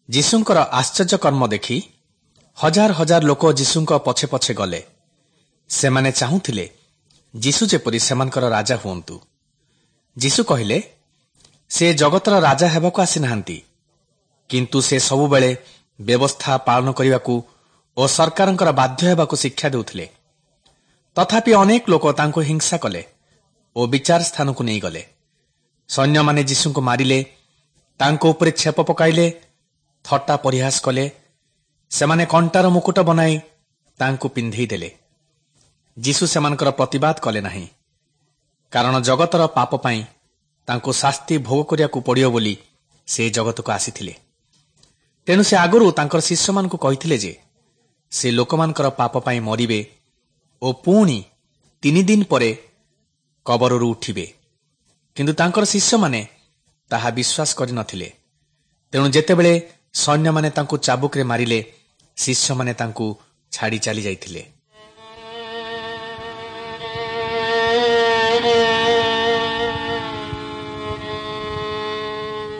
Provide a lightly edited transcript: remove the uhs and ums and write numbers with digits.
ଯୀଶୁଙ୍କର ଆଶ୍ଚର୍ଯ୍ୟ କର୍ମ ଦେଖି ହଜାର ହଜାର ଲୋକ ଯୀଶୁଙ୍କ ପଛେ ପଛେ ଗଲେ। ସେମାନେ ଚାହୁଁଥିଲେ ଯୀଶୁ ଯେପରି ସେମାନଙ୍କର ରାଜା ହୁଅନ୍ତୁ। ଯୀଶୁ କହିଲେ, ସେ ଜଗତର ରାଜା ହେବାକୁ ଆସିନାହାନ୍ତି, କିନ୍ତୁ ସେ ସବୁବେଳେ ବ୍ୟବସ୍ଥା ପାଳନ କରିବାକୁ ଓ ସରକାରଙ୍କର ବାଧ୍ୟ ହେବାକୁ ଶିକ୍ଷା ଦେଉଥିଲେ। ତଥାପି ଅନେକ ଲୋକ ତାଙ୍କୁ ହିଂସା କଲେ ଓ ବିଚାର ସ୍ଥାନକୁ ନେଇଗଲେ। ସୈନ୍ୟମାନେ ଯୀଶୁଙ୍କୁ ମାରିଲେ, ତାଙ୍କ ଉପରେ ଛେପ ପକାଇଲେ, ଥଟ୍ଟା ପରିହାସ କଲେ। ସେମାନେ କଣ୍ଟାର ମୁକୁଟ ବନାଇ ତାଙ୍କୁ ପିନ୍ଧେଇ ଦେଲେ। ଯୀଶୁ ସେମାନଙ୍କର ପ୍ରତିବାଦ କଲେ ନାହିଁ, କାରଣ ଜଗତର ପାପ ପାଇଁ ତାଙ୍କୁ ଶାସ୍ତି ଭୋଗ କରିବାକୁ ପଡ଼ିବ ବୋଲି ସେ ଜଗତକୁ ଆସିଥିଲେ। ତେଣୁ ସେ ଆଗରୁ ତାଙ୍କର ଶିଷ୍ୟମାନଙ୍କୁ କହିଥିଲେ ଯେ ସେ ଲୋକମାନଙ୍କର ପାପ ପାଇଁ ମରିବେ ଓ ପୁଣି 3 ଦିନ ପରେ କବରରୁ ଉଠିବେ। କିନ୍ତୁ ତାଙ୍କର ଶିଷ୍ୟମାନେ ତାହା ବିଶ୍ୱାସ କରିନଥିଲେ। ତେଣୁ ଯେତେବେଳେ ସୈନ୍ୟମାନେ ତାଙ୍କୁ ଚାବୁକରେ ମାରିଲେ, ଶିଷ୍ୟମାନେ ତାଙ୍କୁ ଛାଡ଼ି ଚାଲିଯାଇଥିଲେ।